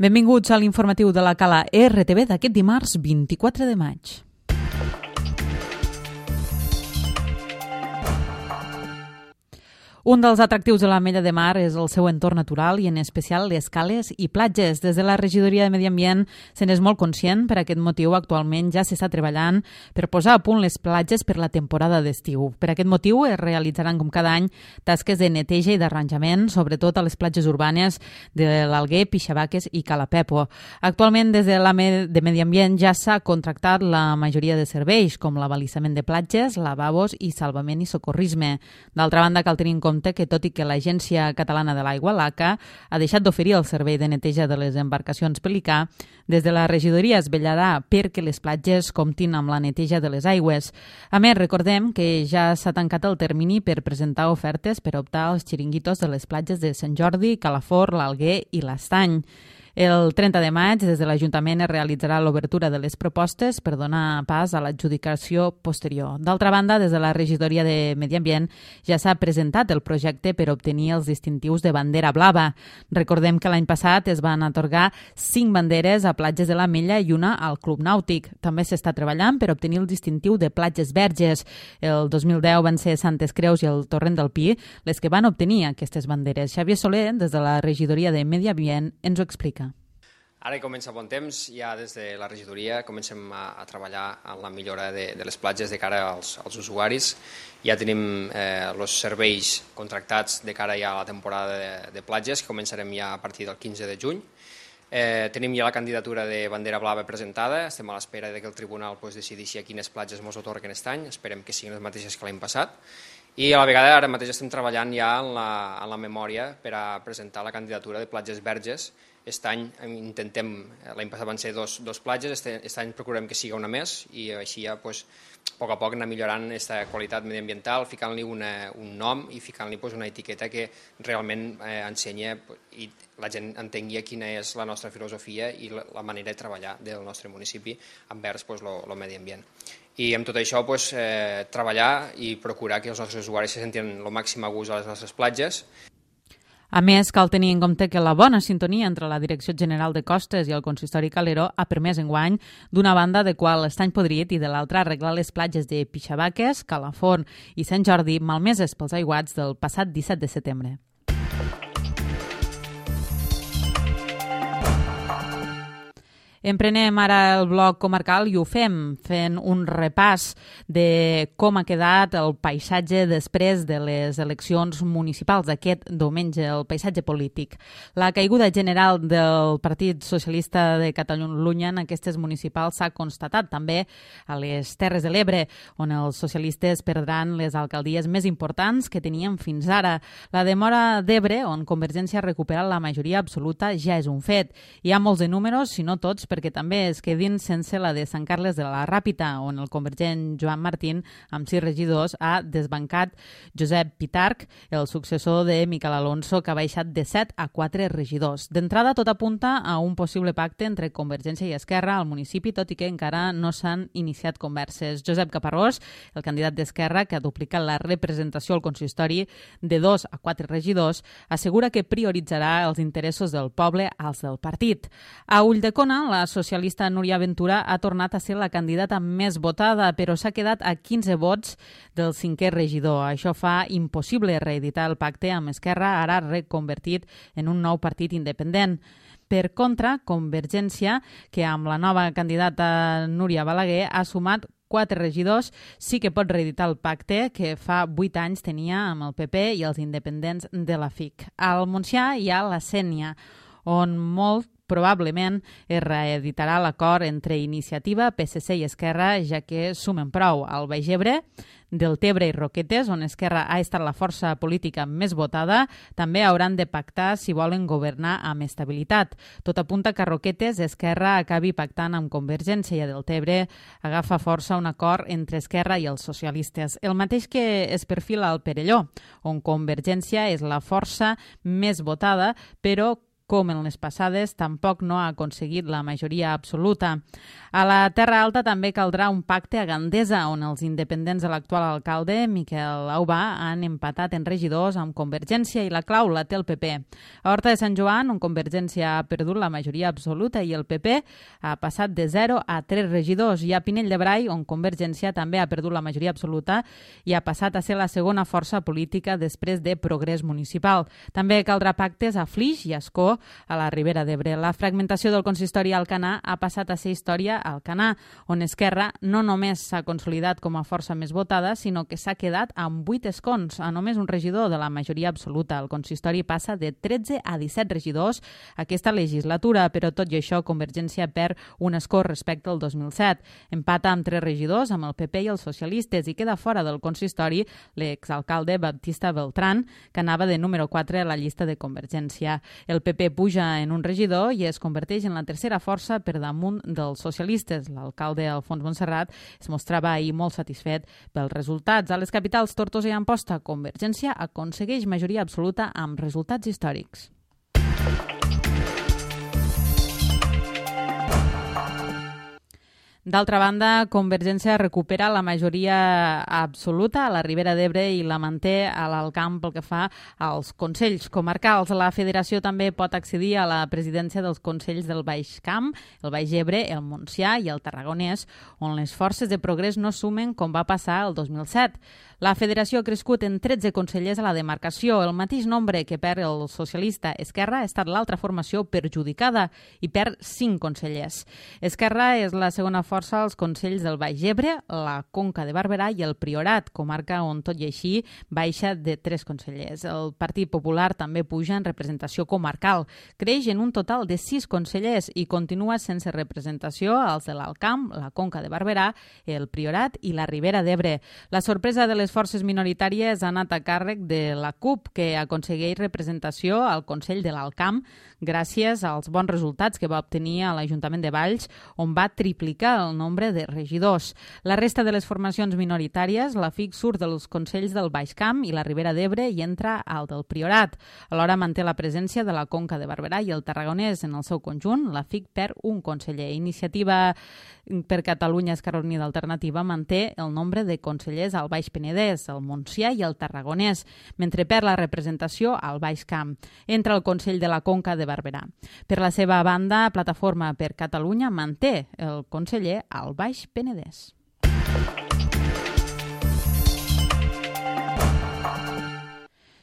Benvinguts a l'informatiu de la Cala RTV d'aquest dimarts 24 de maig. Un dels atractius de l'Ametlla de Mar és el seu entorn natural i en especial les cales i platges. Des de la Regidoria de Medi Ambient se n'és molt conscient. Per aquest motiu actualment ja s'està treballant per posar a punt les platges per la temporada d'estiu. Per aquest motiu es realitzaran com cada any tasques de neteja i d'arranjament, sobretot a les platges urbanes de l'Alguer, Pixabaques i Calapepo. Actualment des de l'Ametlla de Medi Ambient ja s'ha contractat la majoria de serveis com l'abalisament de platges, lavabos i salvament i socorrisme. D'altra banda, cal tenir en compte que tot i que l'Agència Catalana de l'Aigua, l'ACA, ha deixat d'oferir el servei de neteja de les embarcacions Pelicà, des de la regidoria es vetllarà perquè les platges comptin amb la neteja de les aigües. A més, recordem que ja s'ha tancat el termini per presentar ofertes per optar als xiringuitos de les platges de Sant Jordi, Calafort, l'Alguer i l'Estany. El 30 de maig, des de l'Ajuntament es realitzarà l'obertura de les propostes per donar pas a l'adjudicació posterior. D'altra banda, des de la Regidoria de Medi Ambient ja s'ha presentat el projecte per obtenir els distintius de bandera blava. Recordem que l'any passat es van atorgar 5 banderes a platges de l'Ametlla i una al Club Nàutic. També s'està treballant per obtenir el distintiu de platges verges. El 2010 van ser Santes Creus i el Torrent del Pi les que van obtenir aquestes banderes. Xavier Soler, des de la Regidoria de Medi Ambient, ens ho explica. Ara hi comença bon temps, ja des de la regidoria comencem a treballar en la millora de les platges de cara als usuaris. Ja tenim els serveis contractats de cara ja a la temporada de platges, que començarem ja a partir del 15 de juny. Tenim ja la candidatura de bandera blava presentada, estem a l'espera que el tribunal decideixi a quines platges ens atorguen aquest any, esperem que siguin les mateixes que l'any passat. I a la vegada ara mateix estem treballant ja en la memòria per a presentar la candidatura de platges verges. Aquest any intentem, l'any passat van ser dos platges, aquest any procurem que siga una més i així ja a poc a poc anar millorant aquesta qualitat mediambiental, ficant-li un nom i ficant-li una etiqueta que realment ensenya i la gent entengui quina és la nostra filosofia i la manera de treballar del nostre municipi envers el medi ambient. I amb tot això treballar i procurar que els nostres usuaris se sentin el màxim a gust a les nostres platges. A més, cal tenir en compte que la bona sintonia entre la Direcció General de Costes i el Consistori Calero ha permès enguany, d'una banda, adequar l'estany podrit i de l'altra arreglar les platges de Pixabaques, Calafort i Sant Jordi, malmeses pels aiguats del passat 17 de setembre. Emprenem ara el bloc comarcal i ho fem fent un repàs de com ha quedat el paisatge després de les eleccions municipals d'aquest diumenge, el paisatge polític. La caiguda general del Partit Socialista de Catalunya en aquestes municipals s'ha constatat també a les Terres de l'Ebre, on els socialistes perdran les alcaldies més importants que tenien fins ara. La de Móra d'Ebre, on Convergència ha recuperat la majoria absoluta, ja és un fet. Hi ha molts de números, si no tots, perquè també es quedin sense la de Sant Carles de la Ràpita, on el convergent Joan Martín, amb 6 regidors, ha desbancat Josep Pitarch, el successor de Miquel Alonso, que ha baixat de 7 a 4 regidors. D'entrada, tot apunta a un possible pacte entre Convergència i Esquerra al municipi, tot i que encara no s'han iniciat converses. Josep Caparrós, el candidat d'Esquerra, que ha duplicat la representació al consistori de 2 a 4 regidors, assegura que prioritzarà els interessos del poble als del partit. A Ulldecona, la socialista Núria Ventura ha tornat a ser la candidata més votada, però s'ha quedat a 15 vots del 5è regidor. Això fa impossible reeditar el pacte amb Esquerra, ara reconvertit en un nou partit independent. Per contra, Convergència, que amb la nova candidata Núria Balaguer ha sumat 4 regidors, sí que pot reeditar el pacte que fa 8 anys tenia amb el PP i els independents de la FIC. Al Montsià hi ha la Sénia, on molt probablement es reeditarà l'acord entre Iniciativa, PSC i Esquerra, ja que sumen prou al Baix Ebre, Deltebre i Roquetes, on Esquerra ha estat la força política més votada, també hauran de pactar si volen governar amb estabilitat. Tot apunta que a Roquetes Esquerra acabi pactant amb Convergència i a Deltebre agafa força un acord entre Esquerra i els socialistes. El mateix que es perfila al Perelló, on Convergència és la força més votada, però com en les passades, tampoc no ha aconseguit la majoria absoluta. A la Terra Alta també caldrà un pacte a Gandesa, on els independents de l'actual alcalde, Miquel Aubà, han empatat en regidors amb Convergència i la clau la té el PP. A Horta de Sant Joan, on Convergència ha perdut la majoria absoluta i el PP ha passat de 0 a 3 regidors. I a Pinell de Brai, on Convergència també ha perdut la majoria absoluta i ha passat a ser la segona força política després de Progrés Municipal. També caldrà pactes a Flix i Ascó, a la Ribera d'Ebre. La fragmentació del consistori a Alcanar ha passat a ser història a Alcanar, on Esquerra no només s'ha consolidat com a força més votada, sinó que s'ha quedat amb 8 escons, a només un regidor de la majoria absoluta. El consistori passa de 13 a 17 regidors aquesta legislatura, però tot i això Convergència perd un escó respecte al 2007. Empata amb 3 regidors, amb el PP i els socialistes, i queda fora del consistori l'exalcalde Baptista Beltrán, que anava de número 4 a la llista de Convergència. El PP puja en un regidor i es converteix en la tercera força per damunt dels socialistes. L'alcalde Alfons Montserrat es mostrava ahir molt satisfet pels resultats. A les capitals Tortosa i Amposta, Convergència aconsegueix majoria absoluta amb resultats històrics. D'altra banda, Convergència recupera la majoria absoluta a la Ribera d'Ebre i la manté a l'Alt Camp pel que fa als consells comarcals. La federació també pot accedir a la presidència dels consells del Baix Camp, el Baix Ebre, el Montsià i el Tarragonès, on les forces de progrés no sumen com va passar el 2007. La federació ha crescut en 13 consellers a la demarcació. El mateix nombre que perd el socialista Esquerra ha estat l'altra formació perjudicada i perd 5 consellers. Esquerra és la segona força als consells del Baix Ebre, la Conca de Barberà i el Priorat, comarca on tot i així baixa de 3 consellers. El Partit Popular també puja en representació comarcal. Creix en un total de 6 consellers i continua sense representació als de l'Alt Camp, la Conca de Barberà, el Priorat i la Ribera d'Ebre. La sorpresa de les forces minoritàries ha anat a càrrec de la CUP, que aconsegueix representació al Consell de l'Alt Camp gràcies als bons resultats que va obtenir a l'Ajuntament de Valls, on va triplicar el nombre de regidors. La resta de les formacions minoritàries, la FIC surt dels consells del Baix Camp i la Ribera d'Ebre i entra al del Priorat. Alhora manté la presència de la Conca de Barberà i el Tarragonès en el seu conjunt. La FIC perd un conseller. Iniciativa per Catalunya Esquerra Unida Alternativa manté el nombre de consellers al Baix Penedès, al Montsià i al Tarragonès, mentre perd la representació al Baix Camp. Entra al Consell de la Conca de Barberà. Per la seva banda, Plataforma per Catalunya manté el conseller al Baix Penedès.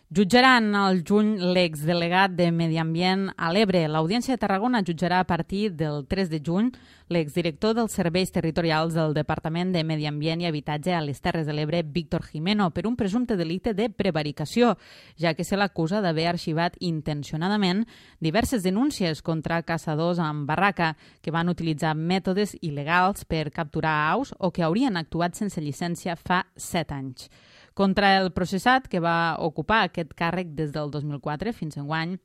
Jutjaran al juny l'exdelegat de Medi Ambient a l'Ebre. L'Audiència de Tarragona jutjarà a partir del 3 de juny l'exdirector dels serveis territorials del Departament de Medi Ambient i Habitatge a les Terres de l'Ebre, Víctor Jimeno, per un presumpte delicte de prevaricació, ja que se l'acusa d'haver arxivat intencionadament diverses denúncies contra caçadors amb barraca que van utilitzar mètodes il·legals per capturar aus o que haurien actuat sense llicència fa 7 anys. Contra el processat, que va ocupar aquest càrrec des del 2004 fins enguany,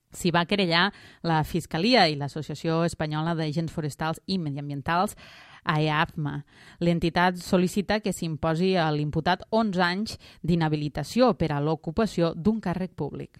s'hi va querellar la Fiscalia i l'Associació Espanyola d'Agents Forestals i Mediambientals, AEAFMA. L'entitat sol·licita que s'imposi a l'imputat 11 anys d'inhabilitació per a l'ocupació d'un càrrec públic.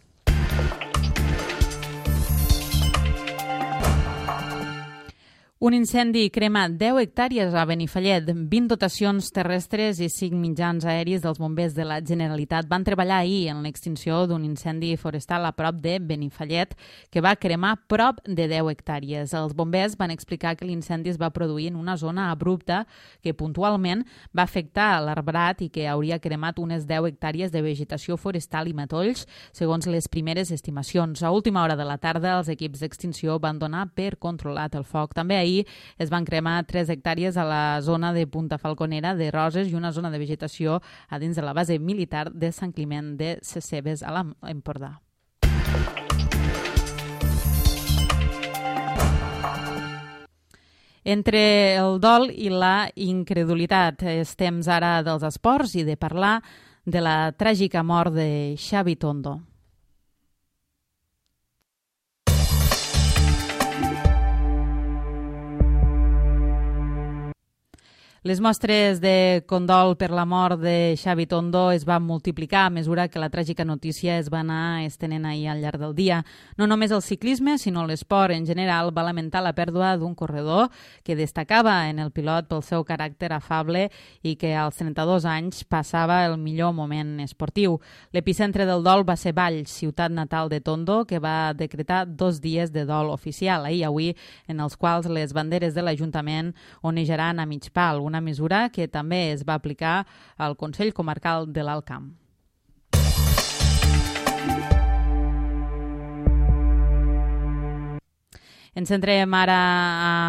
Un incendi crema 10 hectàrees a Benifallet. 20 dotacions terrestres i 5 mitjans aèris dels bombers de la Generalitat van treballar ahir en l'extinció d'un incendi forestal a prop de Benifallet que va cremar prop de 10 hectàrees. Els bombers van explicar que l'incendi es va produir en una zona abrupta que puntualment va afectar l'arbrat i que hauria cremat unes 10 hectàrees de vegetació forestal i matolls, segons les primeres estimacions. A última hora de la tarda, els equips d'extinció van donar per controlat el foc. També ahir es van cremar 3 hectàrees a la zona de Punta Falconera de Roses i una zona de vegetació a dins de la base militar de Sant Climent de Ses Cebes a l'Empordà. Entre el dol i la incredulitat, és temps ara dels esports i de parlar de la tràgica mort de Xavi Tondo. Les mostres de condol per la mort de Xavi Tondo es van multiplicar a mesura que la tràgica notícia es va anar estenent ahir al llarg del dia. No només el ciclisme, sinó l'esport en general va lamentar la pèrdua d'un corredor que destacava en el pilot pel seu caràcter afable i que als 32 anys passava el millor moment esportiu. L'epicentre del dol va ser Valls, ciutat natal de Tondo, que va decretar 2 dies de dol oficial, ahir i avui, en els quals les banderes de l'Ajuntament onejaran a mig pal, una mesura que també es va aplicar al Consell Comarcal de l'Alt Camp. Ens centrem ara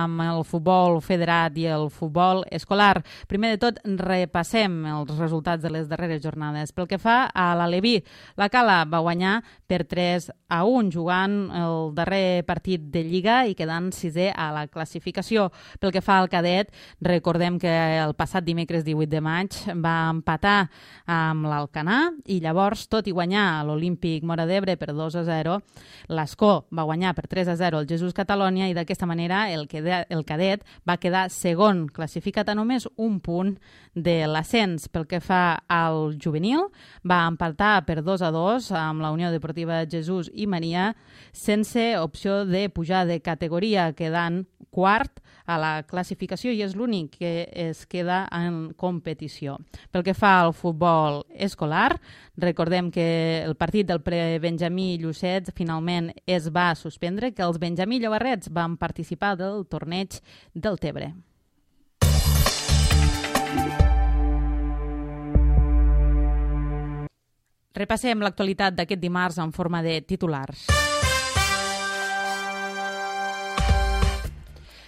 amb el futbol federat i el futbol escolar. Primer de tot, repassem els resultats de les darreres jornades. Pel que fa a l'Aleví, la Cala va guanyar per 3-1, jugant el darrer partit de Lliga i quedant 6è a la classificació. Pel que fa al cadet, recordem que el passat dimecres 18 de maig va empatar amb l'Alcanar i llavors, tot i guanyar l'Olímpic Móra d'Ebre per 2-0, l'Escó va guanyar per 3-0 el Jesús Català i d'aquesta manera el cadet va quedar segon, classificat a només un punt de l'ascens. Pel que fa al juvenil, va empatar per 2-2 amb la Unió Deportiva Jesús i Maria, sense opció de pujar de categoria, quedant quart a la classificació i és l'únic que es queda en competició. Pel que fa al futbol escolar, recordem que el partit del prebenjamí Llucets finalment es va suspendre, que els benjamí Llobarrets van participar del torneig del Tebre. Repassem l'actualitat d'aquest dimarts en forma de titulars.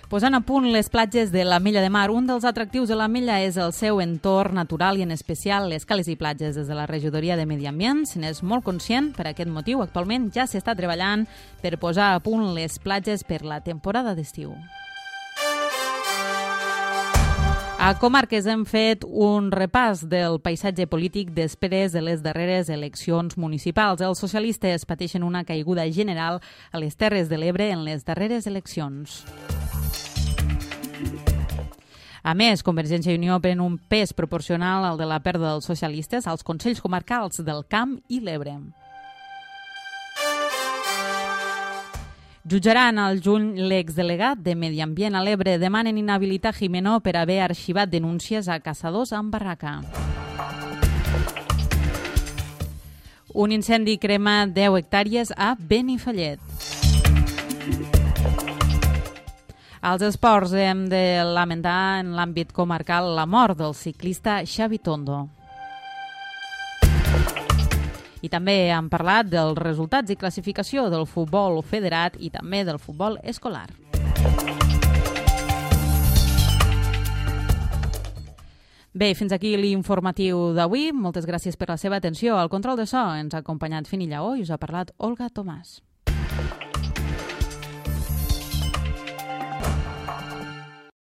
Posant a punt les platges de l'Ametlla de Mar, un dels atractius de l'Ametlla és el seu entorn natural i en especial les cales i platges. Des de la Regidoria de Medi Ambient se n'és molt conscient. Per aquest motiu, actualment ja s'està treballant per posar a punt les platges per la temporada d'estiu. A Comarques hem fet un repàs del paisatge polític després de les darreres eleccions municipals. Els socialistes pateixen una caiguda general a les Terres de l'Ebre en les darreres eleccions. A més, Convergència i Unió pren un pes proporcional al de la pèrdua dels socialistes als Consells Comarcals del Camp i l'Ebre. Jutjaran al juny l'exdelegat de Medi Ambient a l'Ebre. Demanen inhabilitar Jimeno per haver arxivat denúncies a caçadors amb barraca. Un incendi crema 10 hectàrees a Benifallet. Als esports hem de lamentar en l'àmbit comarcal la mort del ciclista Xavi Tondo. I també hem parlat dels resultats i classificació del futbol federat i també del futbol escolar. Bé, fins aquí l'informatiu d'avui. Moltes gràcies per la seva atenció. Al control de so ens ha acompanyat Fini Lleó i us ha parlat Olga Tomàs.